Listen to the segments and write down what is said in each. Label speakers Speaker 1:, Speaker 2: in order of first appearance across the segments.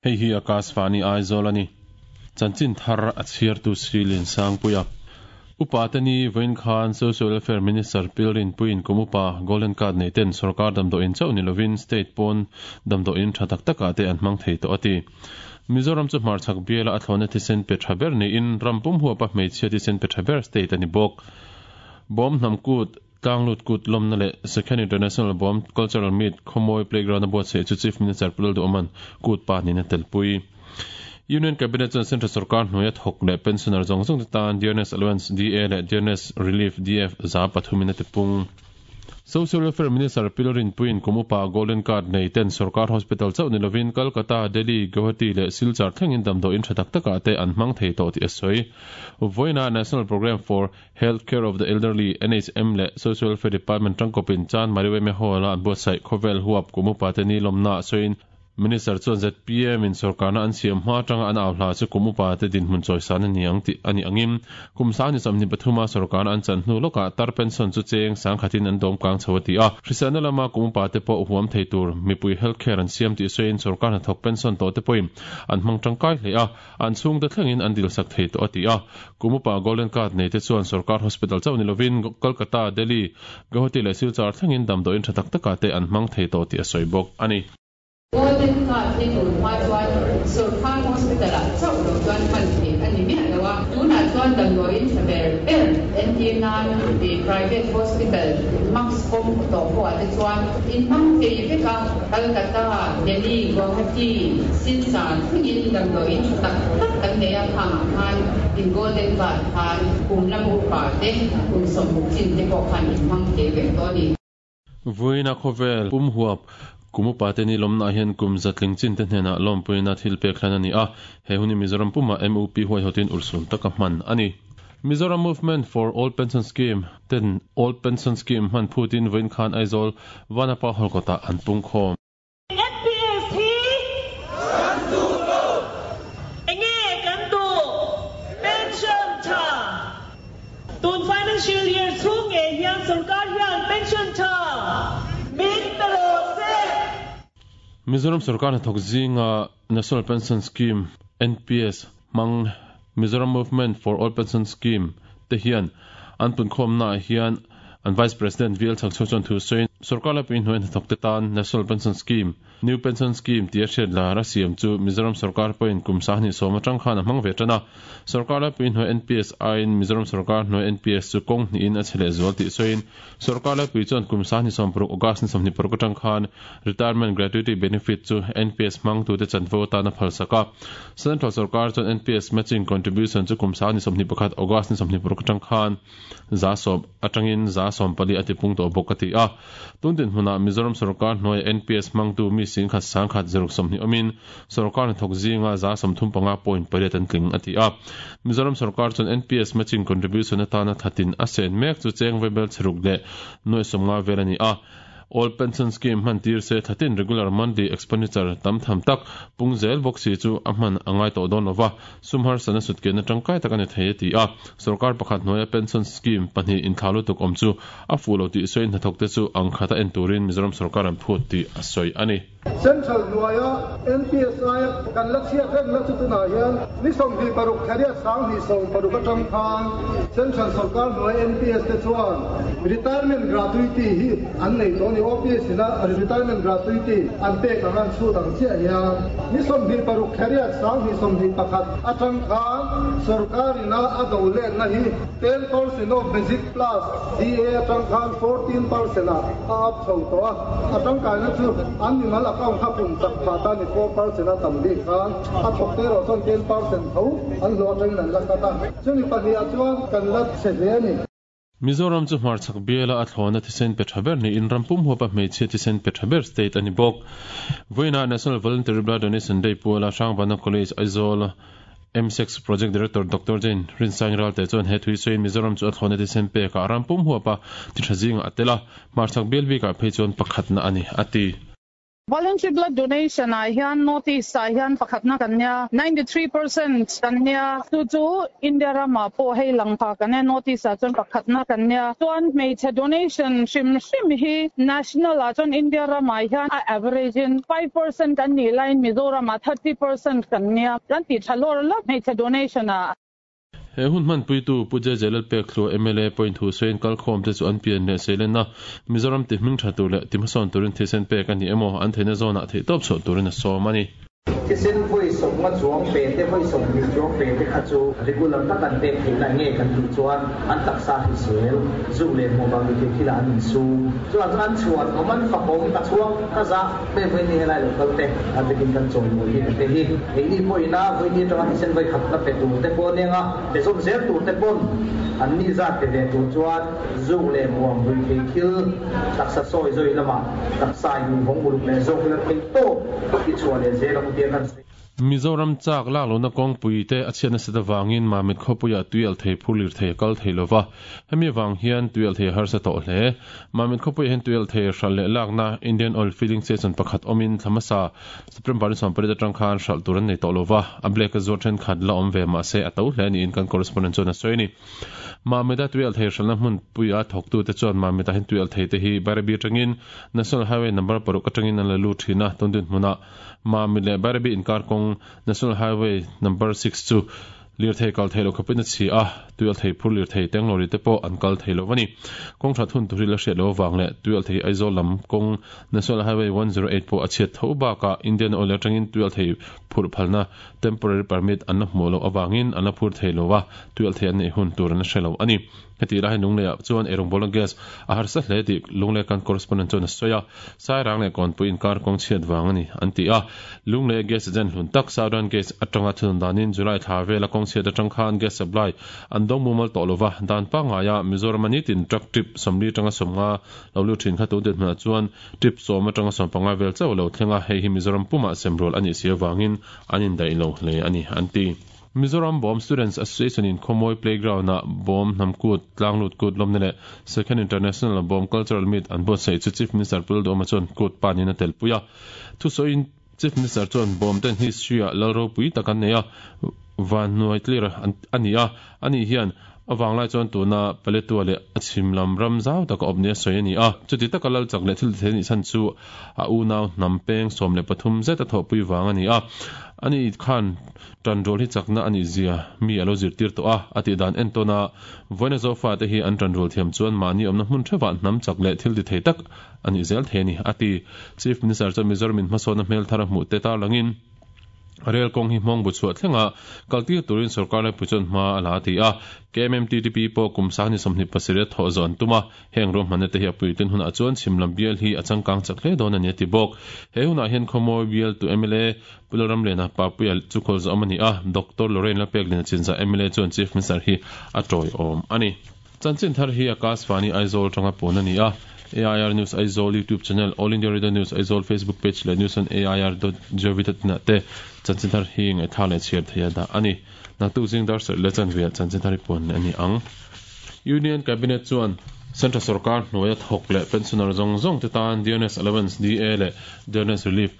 Speaker 1: Hei hi Akashvani Aizawl a ni. Chanchin thar a chhiartu Sri Liansangpuia. Upa te ni vawiin khan Social Welfare Minister Pilrin Puiin kum upa Golden Card nei ten sorkar damdawiin chauh ni lovin state pawn damdawiin tha tak takah te an hmang thei tawh a ti. Mizoram chu hmarchhak biala a thlawhna thisen pe tha ber niin ram pum huapa hmeichhia thisen pe tha ber state a ni bawk. Bawm hnam kut, Tlanglut kut lawmna leh Second International Bawm Cultural Meet Khawmawi Playground a buatsaih chu Chief Minister Pu Lalduhawma'n kut pa niin a telpui. Union Cabinet chuan Central Sorkar hnuaia thawk leh pensioner zawng zawng te tan Dearness Allowance, DA, leh Dearness Relief, DF, 300 in a tipung. Social Welfare Minister Pi Lalrinpuiin kum upa Golden Card nei ten Sorkar Hospital chauh ni lovin Kolkata, Delhi, Guwahati leh Silchar thlengin damdawiin tha tak takah te an hmang thei tawh tih a sawi. Vawiinah National Programme for Health Care of the Elderly, NHM, leh Social Welfare Department tangkawpin Chan Mariweme Hall-a an buatsaih khawvel huap kum upate ni lawmnaah sawiin Minister chuan zpm in sorkarna an siam hma atanga an au hla chu kum upate dinhmun chawisan a ni ang tih a nih angin kum sang ni 23 a sorkarna an chan hnu lawkah tar pension chu cheng sangkhatin an dawm kang chho a ti a. Hriselna lama kum upate pawh huam thei tur mipui health care an siam tih sawiin sorkar hnathawk pension tawhte pawhin an hmang tangkai hle a. An chhungte thlengin an dilsak thei tawh a ti a. Kum upa Golden Card nei te chuan sorkar hospital chauh ni lovin Kolkata, Delhi, Guwahati leh Silchar thlengin damdawiin tha tak takah te an hmang thei tawh tih a sawi bawk a ni.
Speaker 2: Golden Card hi tun hma chuan sorkar hospital ah chauh lo chuan hman theih a ni miah lo a. Tunah chuan damdawiin tha ber ber entir nan private hospital max kawng tawh pawh ah te chuan inhmang thei vek a. Kolkata, Delhi, Guwahati, Silchar thlengin damdawiin tha tak tak kan nei a, khangah khan in Golden Card khan kum lam upa te, kum 60 chin te pawh khan in hmang thei vek tawh a ni.
Speaker 1: Vawiina khawvel pum huap kum upa te ni lawmnaah hian kum zatling chin te hnenah lawmpuina thil pek hlan a ni a, he hun hi Mizoram pumah MUP huaihawtin urhsun taka hman a ni. Mizoram Movement for Old Pension Scheme ten Old Pension Scheme hman phutin vawiin khan Aizawl Vanapa Hall kawtah an pung khawm.
Speaker 3: NPS hi kan duh lo. Enge kan duh? Pension tha. Tun financial year chhung ngei hian sorkar hian pension tha min pe rawh se.
Speaker 1: Mizoram sorkar hnathawk zinga National Pension Scheme, NPS, hmang Mizoram Movement for All Pension Scheme te hian an punkhawmnaah hian an Vice President VL Chhakchhuak chuan thu sawiin, Sorkar laipui hnuai hnathawkte tan National Pension Scheme, New Pension Scheme tia hriat lar a siam chu Mizoram sorkar pawhin kum 2010 atang khan a hmang ve tan a. Sorkar laipui hnuai NPS aiin Mizoram sorkar hnuai NPS chu kawng hnihin a chhe lehzual tih sawiin Sorkar laipui chuan kum 2016 August ni 26 atang khan Retirement Gratuity Benefit chu NPS hmangtute chanvo atan a phalsak a. Central sorkar chuan NPS Matching Contribution chu kum 2021 August ni 26 atang khan 10% atangin 14% a tipung tawh bawk a ti a. Tun dinhmunah Mizoram sorkar hnuaia NPS hmangtu mi singkhat sangkhat zaruk 20 awmin sorkar hnathawk zinga 35 point pariat an tling a ti a. Mizoram sorkar chuan NPS Matching Contribution atana thatin a sen mek chu cheng vaibel chheruk leh nuai 50 vel a ni a. Old Pension Scheme hman tir se thatin regular monthly expenditure tam tham tak pung zel bawk si chu a hman a ngai tawh dawn lova, sum harsatna sutkianna tangkai tak a ni thei a ti a. Sorkar pakhat hnuaia pension scheme pahnih inthla lutuk awm chu a fuh lo tih sawiin hnathawkte chu ang khata en turin Mizoram sorkar an phut tih a sawi a ni.
Speaker 4: Central hnuaia NPSI kan la chhiat reng na chu tunah hian ni 26 thariat 2016 atang khan Central sorkar hnuai NPS te chuan retirement gratuity hi an nei tawh a ni. OPS ina retirement gratuity an pek ang an chhut ang chiah hian ni 26 thariat 2021 atang khan sorkar ina a do letna hi 10% of basic plus DA atang khan 14% ah a up chho tawh a. A tangkaina chu an mimal account kha pum chak phah ta ni 4% a tam bik khan a thawk te erawh chuan 10% tho an hlawh atangin an la cut a, chumi pahnih ah chuan kan la chhe hle a ni.
Speaker 1: Mizoram chu hmarchhak biala a thlawna thisen pe tha ber niin ram pum huapa hmeichhia thisen pe tha ber state a ni bawk. Vawiinah National Voluntary Blood Donation Day puala Hrangbana College, Aizawl, MSEC Project Director Doctor Jane Rinsaing Ralte chuan he thui sawiin Mizoram chu a thlawna thisen pekah ram pum huapa ti tha zingah a tel a, hmarchhak bial bikah phei chuan pakhatna a ni, a ti.
Speaker 2: Voluntary blood donation ah hian North East ah hian pakhatna kan nia, 93% kan nia, chu chu India ramah pawh hei lang pha kan nia, North East ah chuan pakhatna kan nia. Chuan hmeichhe donation hrim hrim hi national ah chuan India ramah hian a average in 5% kan nih laiin Mizoram ah 30% kan nia, kan tih tha lawr lawk hmeichhe donation ah.
Speaker 1: He hun hmanpuitu Pu JJ Lalpekhlua mla pawhin thu sawiin kalkhawmte chu an pian leh seilenna Mizoram ti hming tha tur leh ti hmasawn turin thisen pek a ni emaw an theihna zawnah theihtawp chhuah turin a sawm a ni.
Speaker 5: Thisen vawi sawmnga chuang pe te, vawi 20 chuang pe te kha chu regular tak an pek theihna nge kan tih chuan an taksa hrisel, zuk leh hmuh vang ni thei thilah an insum. Chuan chu an chhuan awm, an fakawm, ka chhuang, ka zah. Hei vawiin helai lo kal te a bikin kan chawimawi hi te hi keini pawhin a vawiin atanga thisen vawi khatna pe tur te pawh aniang a, pe zawm zel tur te pawn an ni zat pe ve tur chuan zuk leh muang rui thei thil taksa sawi zawi lamah taksa in vawng uluk leh zawk ila theih tawp i chhuah leh zel ang u tia kan sawi.
Speaker 1: Mizoram chak lak lohna kawngpui te a chhiat nasat avangin Mamit khawpuiah tui alh thei phur lirthei a kal thei lova, hemi avang hian tui alh thei a harsa tawh hle. Mamit khawpuiah hian tui alh thei hralh leh lakna Indian Oil Filling Station pakhat awmin thla hmasa September ni 18 atang khan hralh tur an nei tawh lova, a black a zuar thenkhat la awm ve mahse a to hle niin kan correspondent chuan a sawi a ni. Mamit-a tui alh thei hralhna hmunpuia thawktute chuan Mamit-ah hian tui alh thei te hi Bairabi atangin National Highway number paruk atangin an la lut thin a, tun dinhmunah Mamit leh Bairabi inkar kawng National Highway Number 6 chu lirthei kal theih loh khawpin a chhi a, tuialthei phur lirthei tenglawri te pawh an kal thei lo a ni. Kawng that hun tur hi la hriat loh avang leh tuialthei Aizawl lam kawng National Highway 108 pawh a chhiat tho bakah Indian Oil atangin tuialthei phurh phalna temporary permit an la hmuh loh avangin an la phur thei lo a, tuialthei an neih hun tur an la hre lo a ni. Heti lai Lungleiah chuan eirawngbawlna gas a harsa hle tih Lunglei kan correspondent chuan a sawi a, Sairang leh Kawnpui inkar kawng chhiat vang a ni an ti a. Lungleia gas agent hlun tak Southern Gas atanga thunun danin July thla vela kawng chhiat atang khan gas supply an dawng mumal tawh lova, dan pangngaia Mizorama nitin truck trip 40 atanga 50 lo lut thin kha tun dinhmunah chuan trip 10 atanga 15 vel chauh a lo thleng a, hei hi Mizoram pumah semrual a nih si avangin an indaih lo hle a ni an ti. Mizoram Bawm Students Association in Khawmawi Playground ah Bawm Hnam Kut, Tlanglut Kut lawmna leh Second International Bawm Cultural Meet an buatsaih chu Chief Minister Pu Lalduhoma chuan kut panin a telpui a. Thusawiin Chief Minister chuan Bawm ten history ah lal ropui tak an nei a, vanhnuai tlir a ni a, ani hian a vanglai chuan tuna Paletwa leh a chhim lam ram zau taka awp nia sawi a ni a. Chuti taka lal chak leh thil tithei nih chhan chu a unau hnam peng 13 zet a thawhpui vang a ni a. Ani khan Tanrual hi chakna a nih zia mi a lo zirtir tawh a, a tih dan entawn a, vawiina Zofa te hi an tanrual thiam chuan mahni awmna hmun theuhah hnam chak leh thil ti thei tak a nih zel thei a ni, a ti. Chief Minister chuan Mizoram in hmasawnna hmel thar a hmuh te tarlangin rel kawng hi hmawng bu chhuah thlenga kaltir turin sorkar laipui chuan hma a la a ti a, KMMTTP pawh kum sangni 27 a thawh zawh an tum a, Heng ruahmanna te hi a puitlin hunah chuan chhimlam bial hi a changkang chak hle dawn a ni a ti bawk. He hunah hian Khawmawi bial tu mla Pu Lalramliana Papuia chu khawl zawh awm a ni a, Doctor Lorraine Lalpekliana Chinzah mla chuan Chief Minister hi a tawiawm a ni. Chanchin thar hi Akashvani Aizawl atanga pawn a ni a, AIR News Aizawl YouTube channel, All India Radio News Aizawl Facebook page leh news on air dot gov dot in ah te chanchin thar hi ngaihthlak leh chhiar theih a dah a ni. Naktuk zing dar sarh leh chanve ah chanchin thar hi puan leh a ni ang. Union Cabinet chuan Central sorkar hnuaia thawk leh pensioner zawng zawng te tan Dearness Allowance, DA, leh Dearness Relief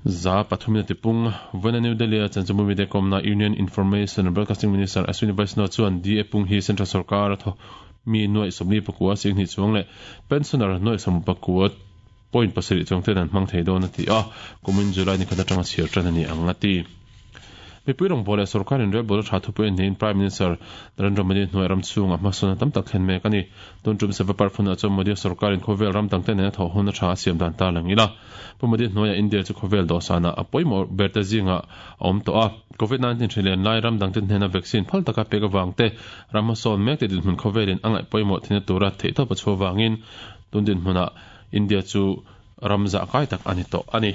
Speaker 1: 300 in a tipung. Vawiina New Delhi-a chanchinbu mite kawmna Union Information and Broadcasting Minister Ashwini Vaishnaw chuan DA pung hi Central sorkar a thawk mi nuaih 44 singhnih chuang leh pensioner nuaih 19 point pasarih chuang ten an hmang thei dawn a ti a, kumin July ni khat atanga chhiar tan a ni ang a ti. Mipui rawngbâwl leh sorkar inrelbâwl a tha thupui a niin Prime Minister Narendra Modi hnuai ram chhungah hmasawnna tam tak thlen mek a ni. Tun tum Seva Parv hunah chuan Modi-a sorkarin khawvel ram dangte nena thawh hun a tha a siam dan ta lang ila. Pu Modi hnuaiah India chu khawvel dawhsanah a pawimawh berte zingah a awm tawh a. Covid-19 hri len lai ram dangte hnena vaccine phal taka pek avang te, ram hmasawn mek te dinhmun khawvelin a ngaih pawimawh thinna tura theihtawp a chhuah avangin tun dinhmunah India chu ram zah kai tak a ni tawh a ni.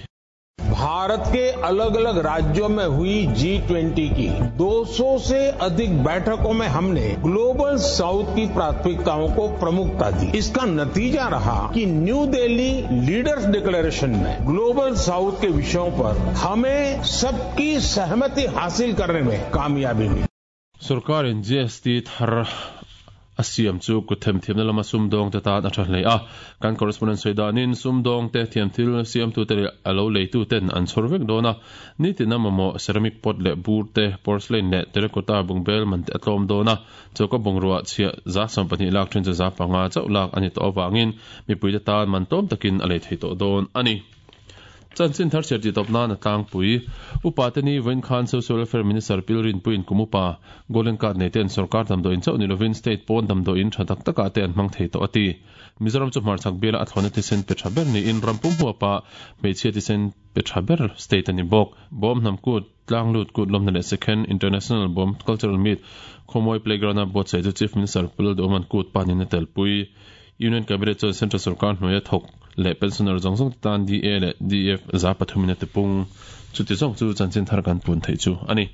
Speaker 6: Bharat के अलग अलग राज्यों में हुई G twenty की 200 से अधिक बैठकों में हमने ग्लोबल साउथ की प्राथमिकताओं को प्रमुखता दी। इसका नतीजा रहा कि new Delhi leaders declaration में ग्लोबल साउथ के विषयों पर हमें सबकी सहमति हासिल करने में कामयाबी मिली।
Speaker 1: Sorkarin GST thar a siam chu kut themthiamna lama sumdawngte tan a tha hle a. Kan correspondent sawi danin sumdawngte thiamthil siamtute leh a lo leituten an chhawr vek dawn a. Nitina mamawh ceramic pot leh bur te, porcelain leh terracotta bungbel man te a tlawm dawn a. Choka bungrua chhiah 12% lak then chu 5% chauh lak a ni tawh avangin mipuite tan man tlawm takin a lei thei tawh dawn a ni. Chanchin thar chhiar tih tawp nan a tlangpui. Upa te ni vawiin khan Social Welfare Minister Pil Rinpuiin kum upa Golden Card nei ten sorkar damdawiin chauh ni lovin state pawn damdawiin tha tak takah te an hmang thei tawh a ti. Mizoram chu hmarchhak biala a thlawhna thisen pe tha ber niin ram pum huapa hmeichhia thisen pe tha ber state a ni bawk. Bawm hnam kut, tlang lut kut lawmna leh Second International Bawm Cultural Meet Khawmawi Playground-a buatsaih chu Chief Minister Pu Lalduhawma'n kut panin a telpui. Union Cabinet chuan Central Sorkar hnuaia thawk leh pensioner zawng zawng te tan DA leh DF 3% in a tipung. Chuti zawng chu chanchin thar kan pun theih chu a ni.